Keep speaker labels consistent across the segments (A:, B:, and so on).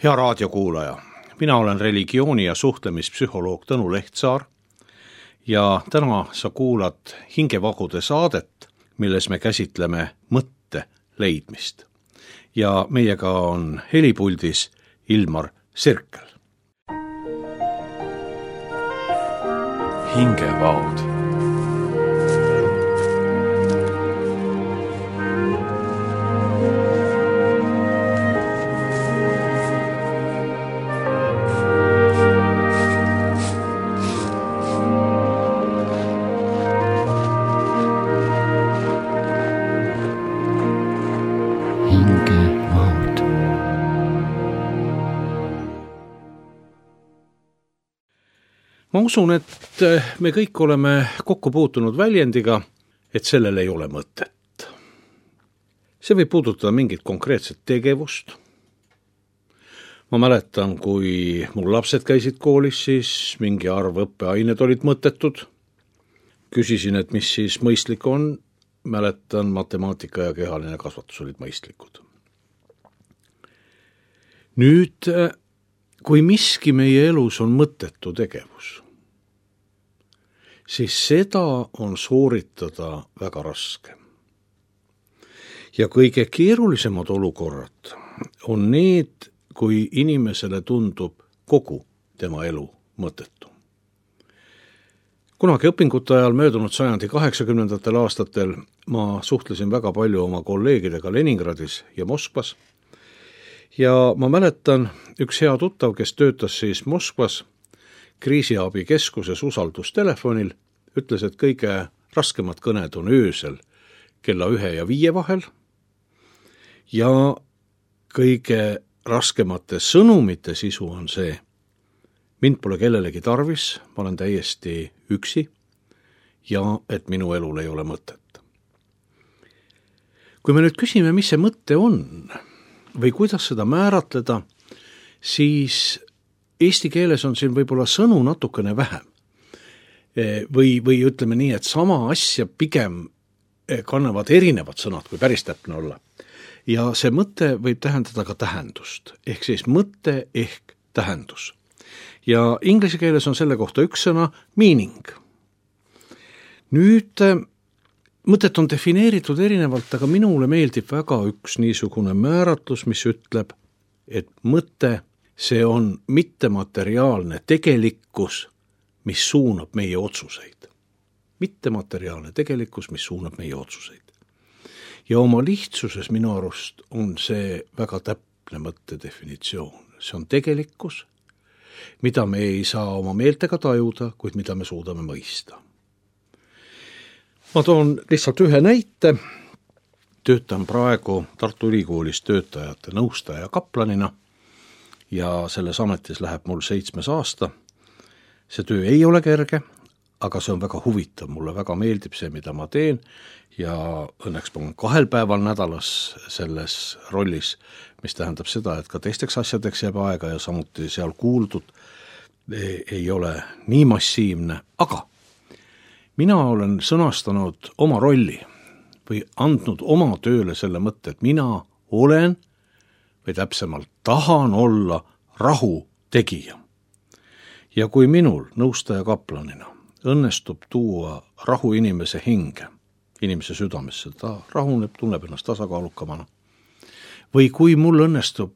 A: Hea raadiokuulaja, mina olen religiooni- ja suhtlemispsühholoog Tõnu Lehtsaar ja täna sa kuulad Hingevagude saadet, milles me käsitleme mõtte leidmist. Ja meiega on helipuldis Ilmar Sirkel.
B: Hingevaod.
A: Ma usun, et me kõik oleme kokku puutunud väljendiga, et sellel ei ole mõtet. See võib puudutada mingit konkreetset tegevust. Ma mäletan, kui mul lapsed käisid koolis, siis mingi arv õppeained olid mõttetud. Küsisin, et mis siis mõistlik on. Mäletan, matemaatika ja kehaline kasvatus olid mõistlikud. Nüüd, kui miski meie elus on mõttetu tegevus, siis seda on sooritada väga raske. Ja kõige keerulisemad olukorrad on need, kui inimesele tundub kogu tema elu mõttetu. Kunagi õpingute ajal möödunud sajandi 80. aastatel ma suhtlesin väga palju oma kolleegidega Leningradis ja Moskvas. Ja ma mäletan, üks hea tuttav, kes töötas siis Moskvas kriisiabikeskuses usaldustelefonil, ütles, et kõige raskemad kõned on öösel kella 1 ja 5 vahel ja kõige raskemate sõnumite sisu on see: mind pole kellelegi tarvis, ma olen täiesti üksi ja et minu elul ei ole mõtet. Kui me nüüd küsime, mis see mõte on või kuidas seda määratleda, siis eesti keeles on siin võib-olla sõnu natukene vähem. Või ütleme nii, et sama asja pigem kannavad erinevad sõnad, kui päris täpne olla. Ja see mõte võib tähendada ka tähendust, ehk siis mõte ehk tähendus. Ja inglise keeles on selle kohta üks sõna meaning. Nüüd mõtet on defineeritud erinevalt, aga minule meeldib väga üks niisugune määratlus, mis ütleb, et mõte, see on mittemateriaalne tegelikkus, mis suunab meie otsuseid. Mittemateriaalne tegelikkus, mis suunab meie otsuseid. Ja oma lihtsuses minu arust on see väga täpne mõtte definitsioon. See on tegelikkus, mida me ei saa oma meeltega tajuda, kuid mida me suudame mõista. Ma toon lihtsalt ühe näite. Töötan praegu Tartu Ülikoolis töötajate nõustaja kaplanina ja selles ametis läheb mul 7. aasta. See töö ei ole kerge, aga see on väga huvitav. Mulle väga meeldib see, mida ma teen ja õnneks ma olen 2 päeval nädalas selles rollis, mis tähendab seda, et ka teisteks asjadeks jääb aega ja samuti seal kuuldud ei ole nii massiivne, aga mina olen sõnastanud oma rolli või andnud oma tööle selle mõtte, et mina olen või täpsemalt tahan olla rahu tegija. Ja kui minul nõustaja kaplanina õnnestub tuua rahu inimese hinge, inimese südamesse, ta rahuneb, tunneb ennast tasakaalukamana, või kui mul õnnestub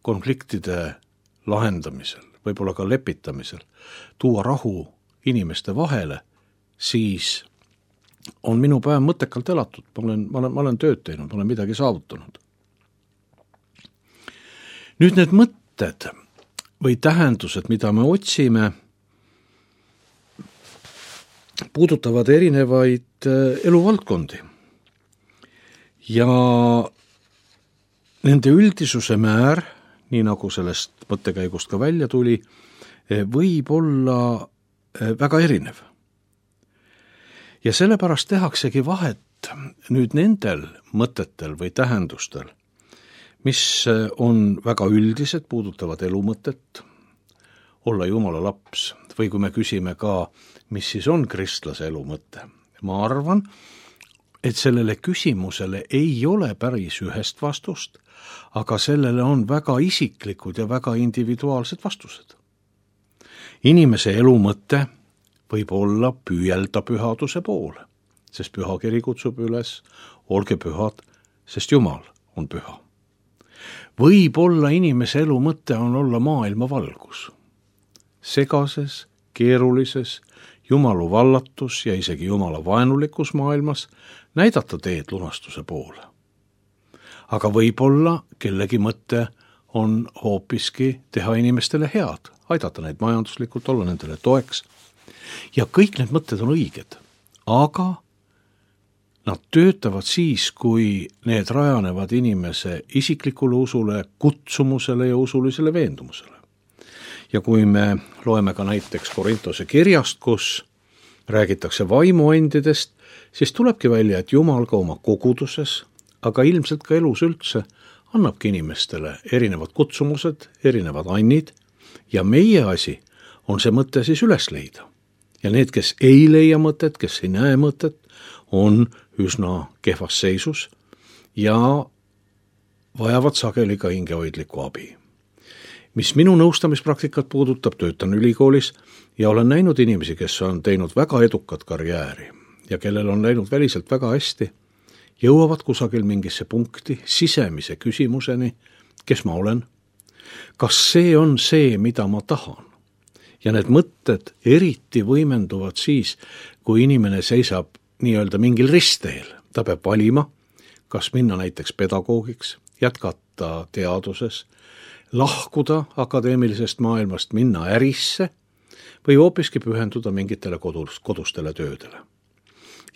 A: konfliktide lahendamisel, võib-olla ka lepitamisel, tuua rahu inimeste vahele, siis on minu päev mõttekalt elatud, ma olen tööd teinud, ma olen midagi saavutanud. Nüüd need mõtted või tähendused, mida me otsime, puudutavad erinevaid eluvaldkondi. Ja nende üldisuse määr, nii nagu sellest mõttekäigust ka välja tuli, võib olla väga erinev. Ja sellepärast tehaksegi vahet nüüd nendel mõtetel või tähendustel, mis on väga üldised, puudutavad elumõtet, olla Jumala laps, või kui me küsime ka, mis siis on kristlase elumõte. ma arvan, et sellele küsimusele ei ole päris ühest vastust, aga sellele on väga isiklikud ja väga individuaalsed vastused. Inimese elu mõte võib olla püüelda pühaduse poole, sest pühakiri kutsub üles, olge pühad, sest Jumal on püha. Võib-olla inimese elu mõte on olla maailma valgus. Segases, keerulises, Jumalu vallatus ja isegi Jumala vaenulikus maailmas näidata teed lunastuse poole. Aga võib-olla kellegi mõte on hoopiski teha inimestele head, aidata neid majanduslikult, olla nendele toeks. Ja kõik need mõtted on õiged, aga nad töötavad siis, kui need rajanevad inimese isiklikule usule, kutsumusele ja usulisele veendumusele. Ja kui me loeme ka näiteks Korintuse kirjast, kus räägitakse vaimuandidest, siis tulebki välja, et Jumal ka oma koguduses, aga ilmselt ka elus üldse, annabki inimestele erinevad kutsumused, erinevad annid ja meie asi on see mõte siis üles leida. Ja need, kes ei leia mõtet, kes ei näe mõtet, on üsna kehvas seisus ja vajavad sageli ka hingehoidlikku abi. Mis minu nõustamispraktikat puudutab, töötan ülikoolis ja olen näinud inimesi, kes on teinud väga edukat karjääri ja kellel on läinud väliselt väga hästi, jõuavad kusagil mingisse punkti, sisemise küsimuseni, kes ma olen, kas see on see, mida ma tahan. Ja need mõtted eriti võimenduvad siis, kui inimene seisab nii-öelda mingil ristteel. Ta peab valima, kas minna näiteks pedagoogiks, jätkata teaduses, lahkuda akadeemilisest maailmast, minna ärisse või hoopiski pühenduda mingitele kodustele töödele.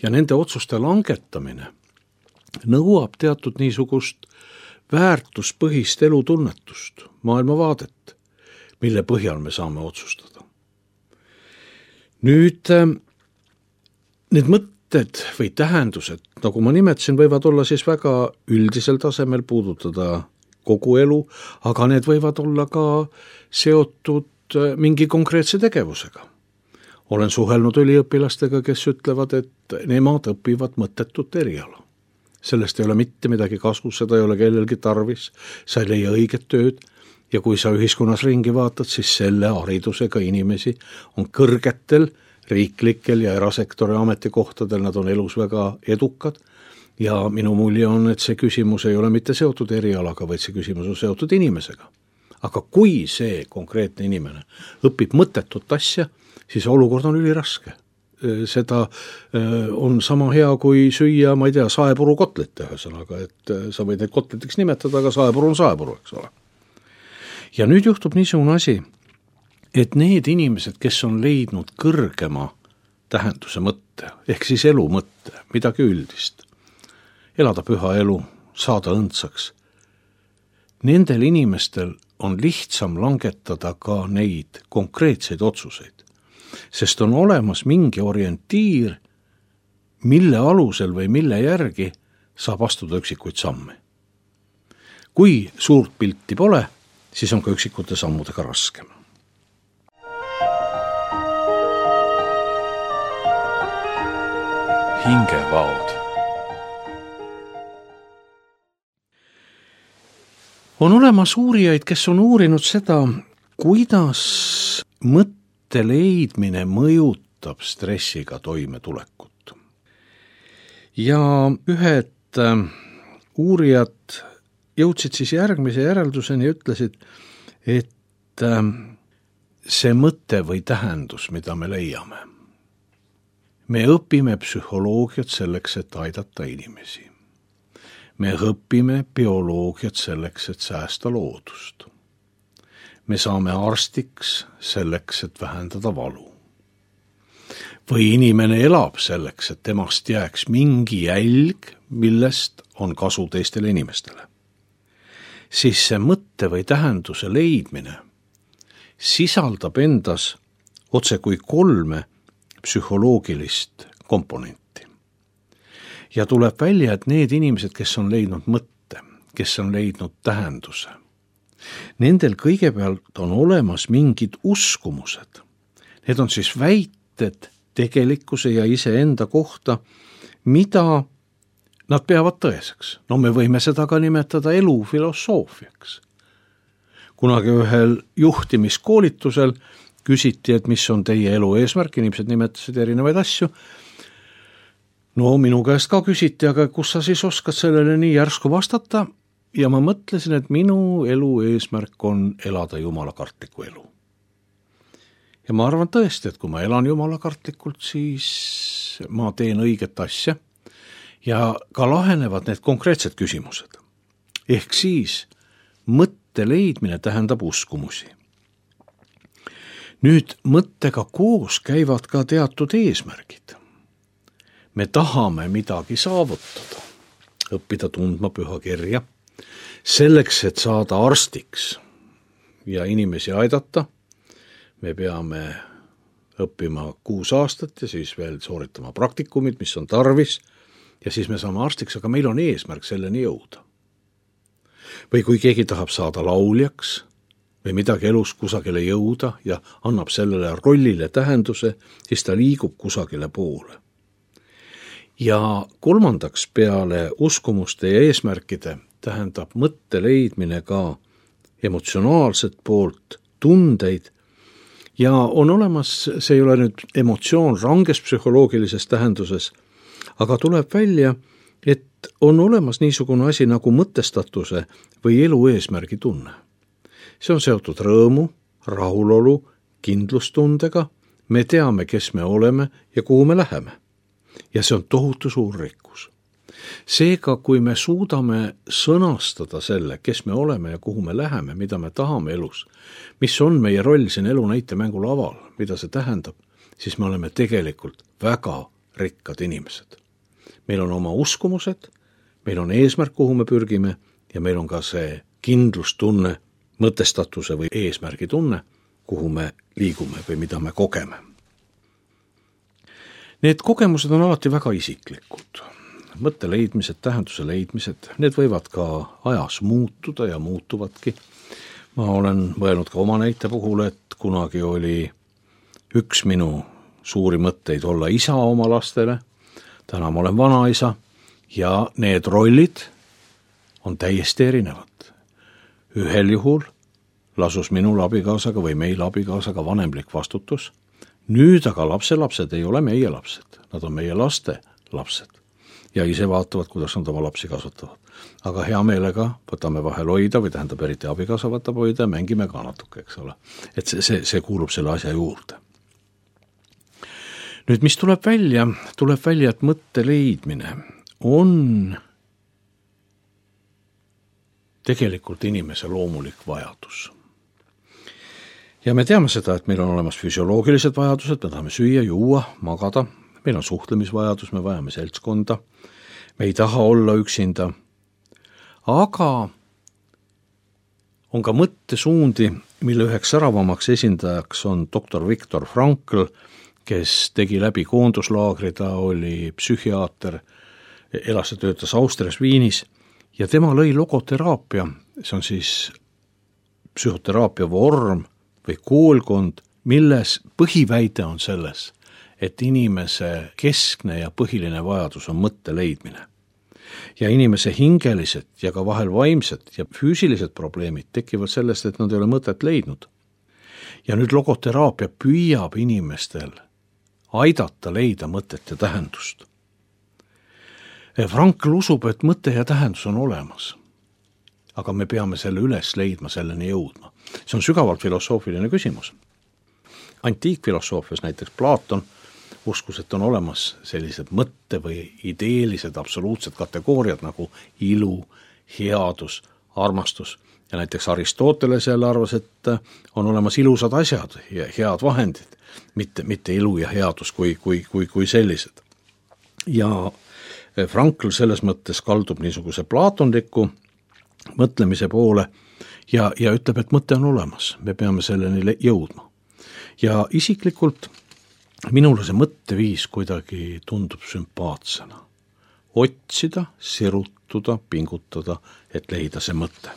A: Ja nende otsuste langetamine nõuab teatud niisugust väärtuspõhist elutunnetust, maailmavaadet, mille põhjal me saame otsustada. Nüüd need mõtted või tähendused, nagu ma nimetasin, võivad olla siis väga üldisel tasemel, puudutada kogu elu, aga need võivad olla ka seotud mingi konkreetse tegevusega. Olen suhelnud üliõpilastega, kes ütlevad, et nemad õpivad mõttetut eriala. Sellest ei ole mitte midagi kasu, seda ei ole kellelgi tarvis, sa ei leia õiget tööd ja kui sa ühiskonnas ringi vaatad, siis selle haridusega inimesi on kõrgetel riiklikel ja erasektori ametikohtadel, nad on elus väga edukad ja minu mulje on, et see küsimus ei ole mitte seotud erialaga, vaid see küsimus on seotud inimesega. Aga kui see konkreetne inimene õpib mõttetut asja, siis olukord on üliraske. Seda on sama hea kui süüa, ma ei tea, saepuru kotlete ühesõnaga, et sa võid neid kotletiks nimetada, aga saepuru on saepuru, eks ole. Ja nüüd juhtub niisugune asi, et need inimesed, kes on leidnud kõrgema tähenduse mõtte, ehk siis elu mõtte, midagi üldist, elada püha elu, saada õndsaks, nendel inimestel on lihtsam langetada ka neid konkreetseid otsuseid. Sest on olemas mingi orientiir, mille alusel või mille järgi saab astuda üksikuid samme. Kui suurt pilti pole, siis on ka üksikute sammudega raskem.
B: Hingevaod.
A: On olemas uurijaid, kes on uurinud seda, kuidas mõtte leidmine mõjutab stressiga toimetulekut. Ja ühed uurijad jõudsid siis järgmise järelduseni ja ütlesid, et see mõte või tähendus, mida me leiame, me õpime psühholoogiat selleks, et aidata inimesi. Me õpime bioloogiat selleks, et säästa loodust. Me saame arstiks selleks, et vähendada valu. Või inimene elab selleks, et temast jääks mingi jälg, millest on kasu teistele inimestele. Siis see mõtte või tähenduse leidmine sisaldab endas otse kui 3 psühholoogilist komponenti. Ja tuleb välja, et need inimesed, kes on leidnud mõtte, kes on leidnud tähenduse, nendel kõigepealt on olemas mingid uskumused. Need on siis väited tegelikkuse ja iseenda kohta, mida nad peavad tõeseks. No me võime seda ka nimetada elufilosoofiaks. Kunagi ühel juhtimiskoolitusel küsiti, et mis on teie elu eesmärk, inimesed nimetasid erinevaid asju. No minu käest ka küsiti, aga kus sa siis oskad sellele nii järsku vastata? Ja ma mõtlesin, et minu elu eesmärk on elada jumalakartlikku elu. Ja ma arvan tõesti, et kui ma elan jumalakartlikult, siis ma teen õiget asja ja ka lahenevad need konkreetsed küsimused. Ehk siis mõtte leidmine tähendab uskumusi. Nüüd mõttega koos käivad ka teatud eesmärgid. Me tahame midagi saavutada, õppida tundma püha kirja, selleks, et saada arstiks ja inimesi aidata, me peame õppima 6 aastat ja siis veel sooritama praktikumid, mis on tarvis, ja siis me saame arstiks, aga meil on eesmärk selleni jõuda. Või kui keegi tahab saada lauljaks või midagi elus kusagile jõuda ja annab sellele rollile tähenduse, siis ta liigub kusagile poole. Ja kolmandaks peale uskumuste ja eesmärkide tähendab mõtte leidmine ka emotsionaalset poolt, tundeid, ja on olemas, see ei ole nüüd emotsioon ranges psühholoogilises tähenduses, aga tuleb välja, et on olemas niisugune asi nagu mõtestatuse või elu eesmärgi tunne. See on seotud rõõmu, rahulolu, kindlustundega, me teame, kes me oleme ja kuhu me läheme. Ja see on tohutu suur rikkus. Seega, kui me suudame sõnastada selle, kes me oleme ja kuhu me läheme, mida me tahame elus, mis on meie roll siin elu näitemängu laval, mida see tähendab, siis me oleme tegelikult väga rikkad inimesed. Meil on oma uskumused, meil on eesmärk, kuhu me pürgime, ja meil on ka see kindlustunne, mõtestatuse või eesmärgi tunne, kuhu me liigume või mida me kogeme. Need kogemused on alati väga isiklikud. Mõtte leidmised, tähenduse leidmised, need võivad ka ajas muutuda ja muutuvadki. Ma olen mõelnud ka oma näite puhul, et kunagi oli üks minu suuri mõtteid olla isa oma lastele. Täna ma olen vanaisa ja need rollid on täiesti erinevad. Ühel juhul lasus minul abikaasaga või meil abikaasaga vanemlik vastutus. Nüüd aga lapselapsed ei ole meie lapsed, nad on meie laste lapsed ja ise vaatavad, kuidas nad oma lapsi kasvatavad. Aga hea meelega võtame vahel hoida või tähendab eriti abikaasa võtab hoida ja mängime ka natuke, eks ole. Et see kuulub selle asja juurde. Nüüd, mis tuleb välja, et mõtte leidmine on tegelikult inimese loomulik vajadus. Ja me teame seda, et meil on olemas füsioloogilised vajadused, me tahame süüa, juua, magada, meil on suhtlemisvajadus, me vajame seltskonda, me ei taha olla üksinda, aga on ka mõttesuundi, mille üheks säravamaks esindajaks on doktor Viktor Frankl, kes tegi läbi koonduslaagri, ta oli psühhiaater, elas ja töötas Austrias Viinis ja tema lõi logoteraapia, see on siis psühhoteraapia vorm või koolkond, milles põhiväide on selles, et inimese keskne ja põhiline vajadus on mõtte leidmine. Ja inimese hingelised ja ka vahel vaimsed ja füüsilised probleemid tekivad sellest, et nad ei ole mõtet leidnud. Ja nüüd logoteraapia püüab inimestel aidata leida mõtet ja tähendust. Frankl usub, et mõte ja tähendus on olemas, aga me peame selle üles leidma, selleni jõudma. See on sügavalt filosoofiline küsimus. Antiikfilosoofias näiteks Platon uskus, et on olemas sellised mõtte või ideelised absoluutsed kategooriad nagu ilu, headus, armastus. Ja näiteks Aristoteles jälle arvas, et on olemas ilusad asjad ja head vahendid, mitte ilu ja headus kui sellised. Ja Frankl selles mõttes kaldub niisuguse plaatonliku mõtlemise poole ja ütleb, et mõte on olemas, me peame selleni jõudma. Ja isiklikult minule see mõtteviis kuidagi tundub sümpaatsena. Otsida, sirutuda, pingutada, et leida see mõte.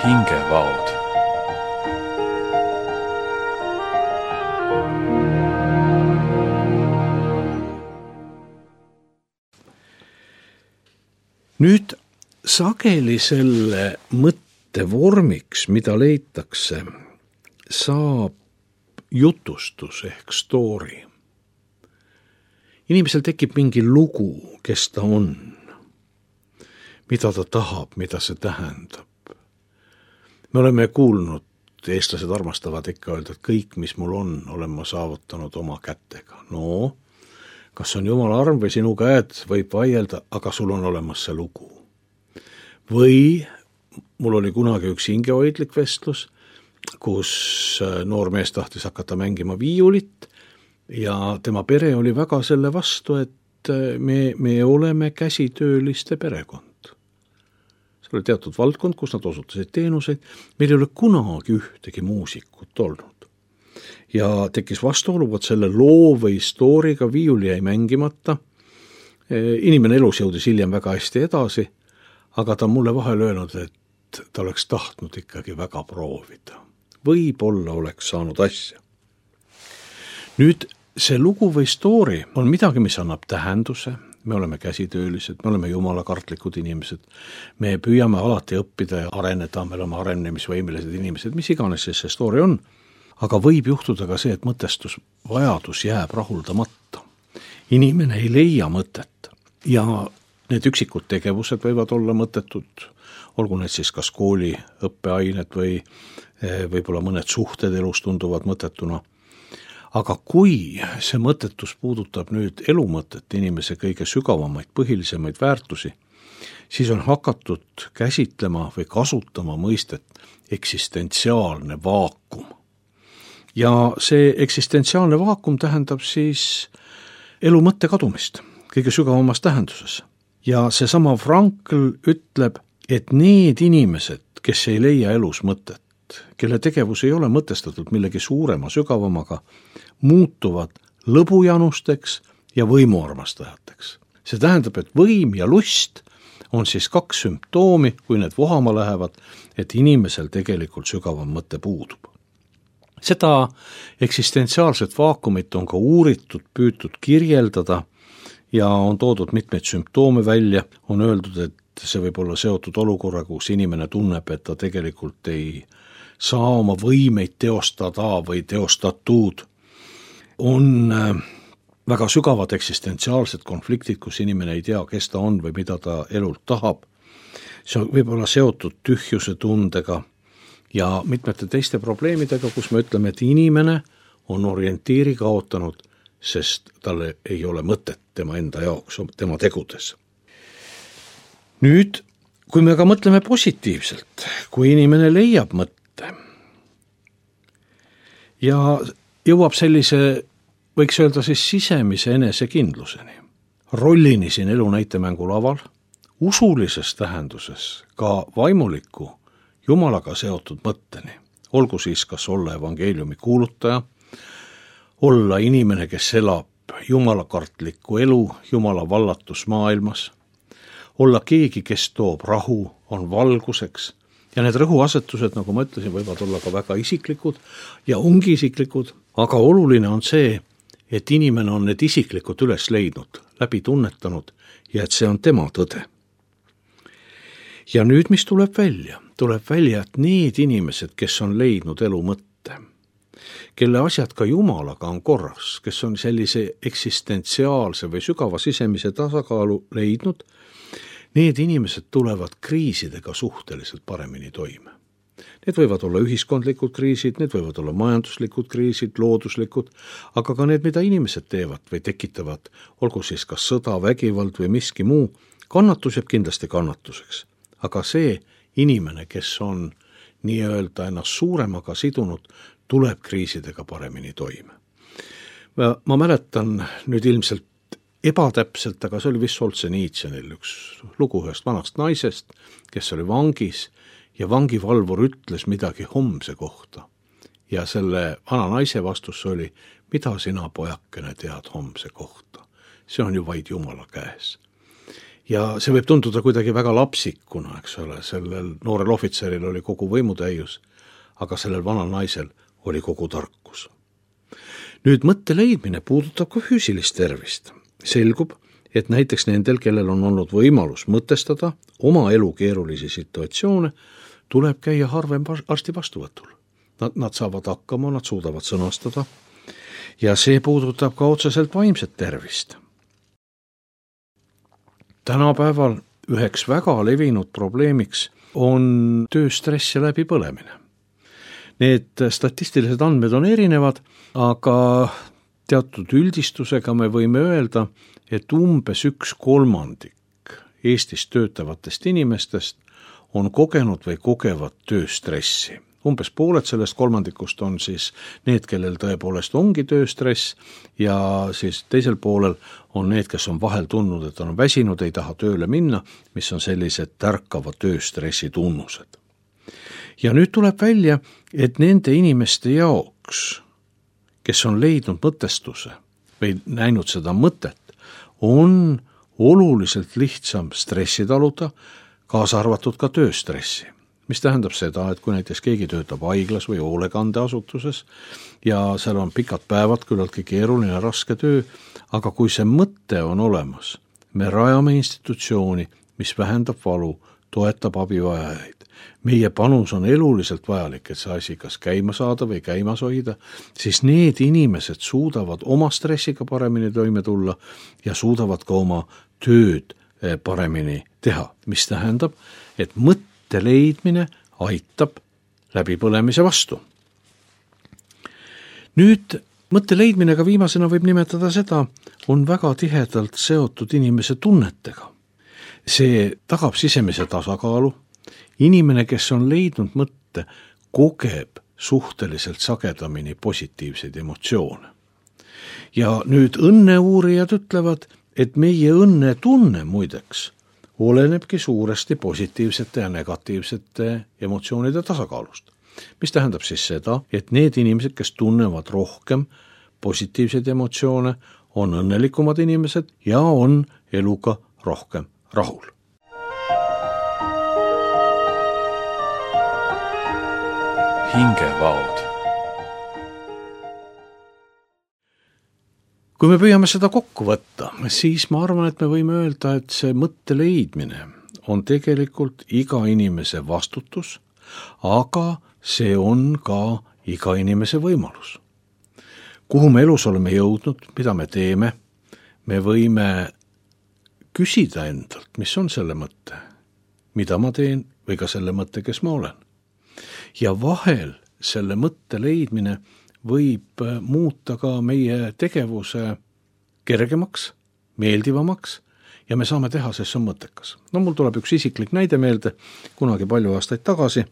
B: Hingevaod.
A: Nüüd sageli selle mõttevormiks, mida leitakse, saab jutustus ehk story. Inimesel tekib mingi lugu, kes ta on, mida ta tahab, mida see tähendab. Me oleme kuulnud, eestlased armastavad ikka öelda, et kõik, mis mul on, olen ma saavutanud oma kätega. No, kas on Jumala arm või sinu käed, võib vaielda, aga sul on olemas see lugu. Või mul oli kunagi üks hingehoidlik vestlus, kus noor mees tahtis hakata mängima viiulit ja tema pere oli väga selle vastu, et me oleme käsitööliste perekond. See oli teatud valdkond, kus nad osutasid teenuseid, meil ei ole kunagi ühtegi muusikut olnud. Ja tekkis vastuolu, et selle loo või stooriga viiuli jäi mängimata. Inimene elus jõudis hiljem väga hästi edasi, aga ta mulle vahel öelnud, et ta oleks tahtnud ikkagi väga proovida. Võib-olla oleks saanud asja. Nüüd see lugu või story on midagi, mis annab tähenduse. Me oleme käsitöölised, me oleme jumalakartlikud inimesed, me püüame alati õppida ja areneda, me oleme arenemisvõimelised inimesed, mis iganes see story on, aga võib juhtuda ka see, et mõtestusvajadus jääb rahuldamata. Inimene ei leia mõtet ja need üksikud tegevused võivad olla mõttetud, olgu need siis kas kooli õppeained või võib-olla mõned suhted elus tunduvad mõttetuna. Aga kui see mõttetus puudutab nüüd elumõtet, inimese kõige sügavamaid, põhilisemaid väärtusi, siis on hakatud käsitlema või kasutama mõistet eksistentsiaalne vaakum. Ja see eksistentsiaalne vaakum tähendab siis elu mõtte kadumist kõige sügavamas tähenduses. Ja seesama Frankl ütleb, et need inimesed, kes ei leia elus mõtet, kelle tegevus ei ole mõtestatud millegi suurema, sügavamaga, muutuvad lõbujanusteks ja võimuarmastajateks. See tähendab, et võim ja lust on siis kaks sümptoomi, kui need vohama lähevad, et inimesel tegelikult sügavam mõte puudub. Seda eksistentsiaalset vaakumit on ka uuritud, püütud kirjeldada ja on toodud mitmeid sümptoome välja, on öeldud, et see võib olla seotud olukorra, kus inimene tunneb, et ta tegelikult ei saa oma võimeid teostada või teostatud. On väga sügavad eksistentsiaalsed konfliktid, kus inimene ei tea, kes ta on või mida ta elult tahab. See võib olla seotud tühjuse tundega ja mitmete teiste probleemidega, kus me ütleme, et inimene on orientiiri kaotanud, sest talle ei ole mõtet tema enda jaoks, tema tegudes. Nüüd, kui me ka mõtleme positiivselt, kui inimene leiab mõtte ja jõuab sellise, võiks öelda siis sisemise enesekindluseni, rollini siin elu näitemängu laval, usulises tähenduses ka vaimuliku Jumalaga seotud mõtteni, olgu siis kas olla evangeeliumi kuulutaja, olla inimene, kes elab jumalakartlikku elu, Jumala vallatus maailmas, olla keegi, kes toob rahu, on valguseks ja need rõhuasetused, nagu ma ütlesin, võivad olla ka väga isiklikud ja ongi isiklikud, aga oluline on see, et inimene on need isiklikud üles leidnud, läbi tunnetanud ja et see on tema tõde. Ja nüüd, mis tuleb välja? Tuleb välja, et need inimesed, kes on leidnud elu mõtte, kelle asjad ka Jumalaga on korras, kes on sellise eksistentsiaalse või sügava sisemise tasakaalu leidnud, need inimesed tulevad kriisidega suhteliselt paremini toime. Need võivad olla ühiskondlikud kriisid, need võivad olla majanduslikud kriisid, looduslikud, aga ka need, mida inimesed teevad või tekitavad, olgu siis kas sõda, vägivald või miski muu, kannatus jääb kindlasti kannatuseks. Aga see inimene, kes on nii-öelda ennast suuremaga sidunud, tuleb kriisidega paremini toime. Ma mäletan nüüd ilmselt ebatäpselt, aga see oli vist Solženitsõnil üks lugu ühest vanast naisest, kes oli vangis ja vangivalvur ütles midagi homse kohta. Ja selle vana naise vastus oli, mida sina pojakene tead homse kohta? See on ju vaid Jumala käes. Ja see võib tunduda kuidagi väga lapsikuna, eks ole, sellel noorel ohvitseril oli kogu võimutäius, aga sellel vanal naisel oli kogu tarkus. Nüüd mõtte leidmine puudutab ka füüsilist tervist. Selgub, et näiteks nendel, kellel on olnud võimalus mõtestada oma elu keerulisi situatsioone, tuleb käia harvem arsti vastuvõtul. Nad saavad hakkama, nad suudavad sõnastada ja see puudutab ka otseselt vaimset tervist. Tänapäeval üheks väga levinud probleemiks on tööstress ja läbipõlemine. Need statistilised andmed on erinevad, aga teatud üldistusega me võime öelda, et umbes 1/3 Eestis töötavatest inimestest on kogenud või kogevad tööstressi. Umbes pooled sellest kolmandikust on siis need, kellel tõepoolest ongi tööstress ja siis teisel poolel on need, kes on vahel tundnud, et on väsinud, ei taha tööle minna, mis on sellised tärkava tööstressi tunnused. Ja nüüd tuleb välja, et nende inimeste jaoks, kes on leidnud mõtestuse või näinud seda mõtet, on oluliselt lihtsam stressi taluda, kaasa arvatud ka tööstressi. Mis tähendab seda, et kui näiteks keegi töötab haiglas või hoolekandeasutuses ja seal on pikad päevad, küllaltki keeruline, raske töö, aga kui see mõte on olemas, me rajame institutsiooni, mis vähendab valu, toetab abivajajaid. Meie panus on eluliselt vajalik, et see asi kas käima saada või käimas hoida, siis need inimesed suudavad oma stressiga paremini toime tulla ja suudavad ka oma tööd paremini teha, mis tähendab, et mõtte leidmine aitab läbipõlemise vastu. Nüüd mõtte leidmine ka viimasena võib nimetada seda, on väga tihedalt seotud inimese tunnetega. See tagab sisemise tasakaalu. Inimene, kes on leidnud mõtte, kogeb suhteliselt sagedamini positiivseid emotsioone. Ja nüüd õnneuurijad ütlevad, et meie õnnetunne muideks olenebki suuresti positiivsete ja negatiivsete emotsioonide tasakaalust. Mis tähendab siis seda, et need inimesed, kes tunnevad rohkem positiivseid emotsioone, on õnnelikumad inimesed ja on eluga rohkem rahul.
B: Hingevaod.
A: Kui me püüame seda kokku võtta, siis ma arvan, et me võime öelda, et see mõtte leidmine on tegelikult iga inimese vastutus, aga see on ka iga inimese võimalus. Kuhu me elus oleme jõudnud, mida me teeme, me võime küsida endalt, mis on selle mõtte, mida ma teen või ka selle mõtte, kes ma olen. Ja vahel selle mõtte leidmine võib muuta ka meie tegevuse kergemaks, meeldivamaks ja me saame teha, sest see on mõttekas. No mul tuleb üks isiklik näide meelde, kunagi palju aastaid tagasi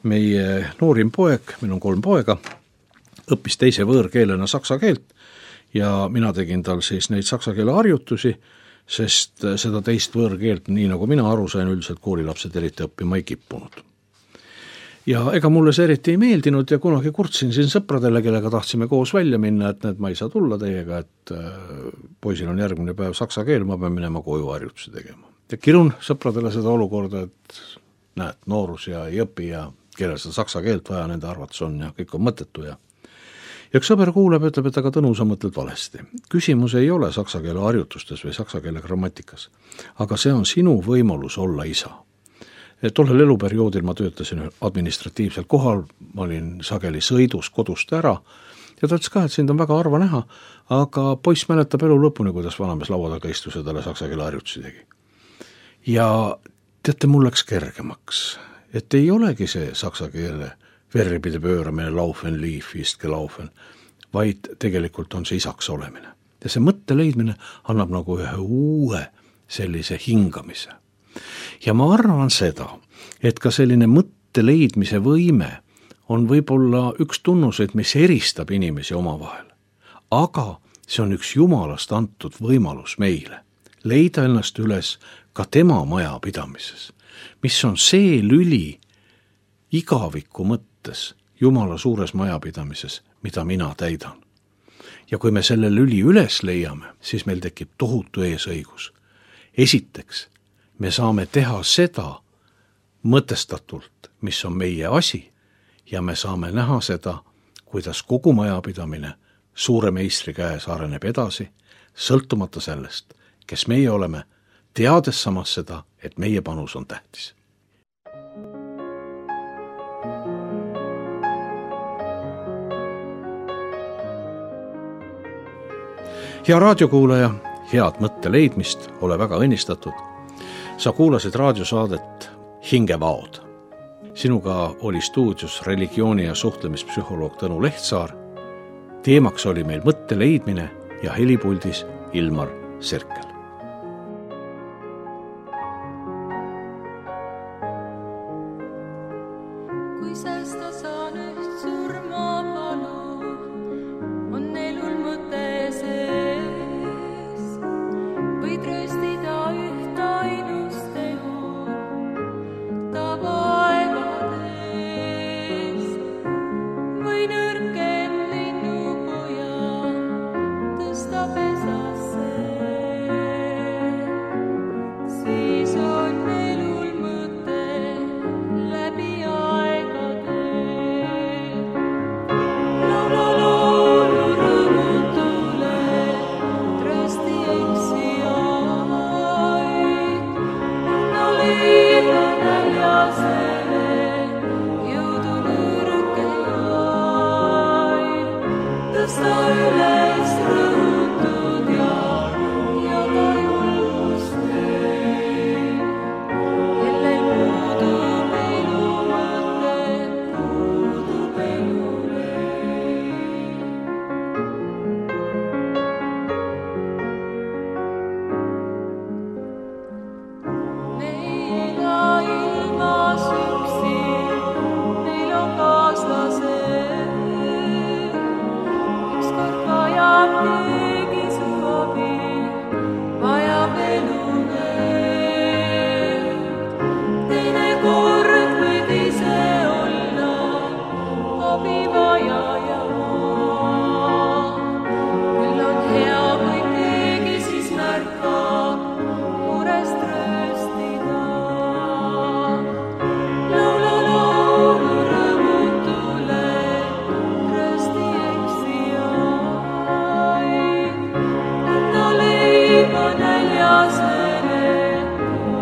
A: meie noorim poeg, meil on 3 poega, õppis teise võõrkeelena saksa keelt ja mina tegin tal siis neid saksa keele harjutusi, sest seda teist võõrkeelt, nii nagu mina aru sain, üldiselt koolilapsed eriti õppima ei kippunud. Ja ega mulle see eriti ei meeldinud ja kunagi kurtsin siin sõpradele, kellega tahtsime koos välja minna, et ma ei saa tulla teiega, et poisil on järgmine päev saksa keel, ma pean minema koju harjutusi tegema. Ja kirun sõpradele seda olukorda, et näed, noorus ja ei õpi ja kellel seda saksa keelt vaja nende arvates on ja kõik on mõttetu ja üks sõber kuuleb, ütleb, et aga Tõnu, sa mõtled valesti. Küsimus ei ole saksa keele harjutustes või saksa keele grammatikas, aga see on sinu võimalus olla isa. Tollel eluperioodil ma töötasin administratiivsel kohal, ma olin sageli sõidus kodust ära ja ta ütles ka, et sind on väga harva näha, aga poiss mäletab elu lõpuni, kuidas vanamees laua taga istus ja talle saksa keele harjutusi tegi. Ja teate, mul läks kergemaks, et ei olegi see saksa keele verbide pööramine, laufen, liif, istke, laufen, vaid tegelikult on see isaks olemine. Ja see mõtte leidmine annab nagu ühe uue sellise hingamise. Ja ma arvan seda, et ka selline mõtte leidmise võime on võib-olla üks tunnuseid, mis eristab inimesi omavahel. Aga see on üks Jumalast antud võimalus meile leida ennast üles ka tema majapidamises, mis on see lüli igaviku mõttes Jumala suures majapidamises, mida mina täidan. Ja kui me selle lüli üles leiame, siis meil tekib tohutu eesõigus. Esiteks, me saame teha seda mõtestatult, mis on meie asi ja me saame näha seda, kuidas kogu majapidamine suure meistri käes areneb edasi, sõltumata sellest, kes meie oleme, teades samas seda, et meie panus on tähtis. Hea raadiokuulaja, head mõtte leidmist, ole väga õnnistatud. Sa kuulasid raadiosaadet Hingevaod. Sinuga oli stuudios religiooni- ja suhtlemispsühholoog Tõnu Lehtsaar. Teemaks oli meil mõtte leidmine ja helipuldis Ilmar Sirkel.
B: Kui säästa saan üht surmapalu, on elul mõte sees. Võid röstida üht ainust tehu, ta vaevades. Või nõrkem linnupoja tõsta pesasse. Siis on elul mõte läbi aegade. Laulu rõõmutule trösti eksijaid. No liiga näljasele jõudu nõrkejaid. Tõsta üles rõhutud ja ka julgust neil. Kellel puudub elu mõte, puudub elule. Me ei ela ilmas üksi, meil on kaaslased. Ükskord vajab keegi su abi, vajab elu veel. Teinekord võid ise olla abivajaja. Küll on hea, kui keegi siis märkab murest röstida. Laulu rõõmutule trösti eksijaid. Anna leiba näljasele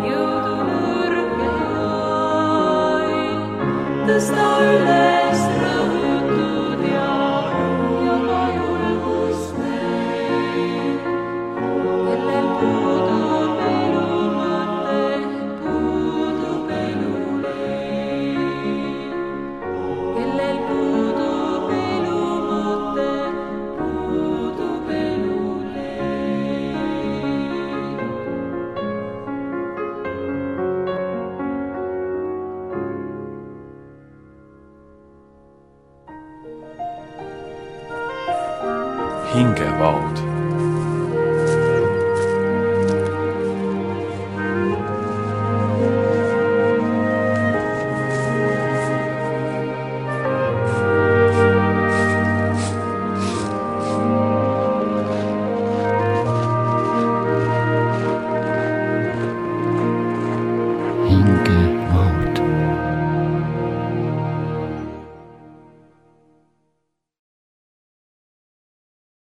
B: jõudu nõrkejaid. Tõsta üles rõhutud ja ka julgust neil. Kellel puudub elu mõte, puudub elule. Kellel puudub elu mõte, puudub elule.
C: Hingevaod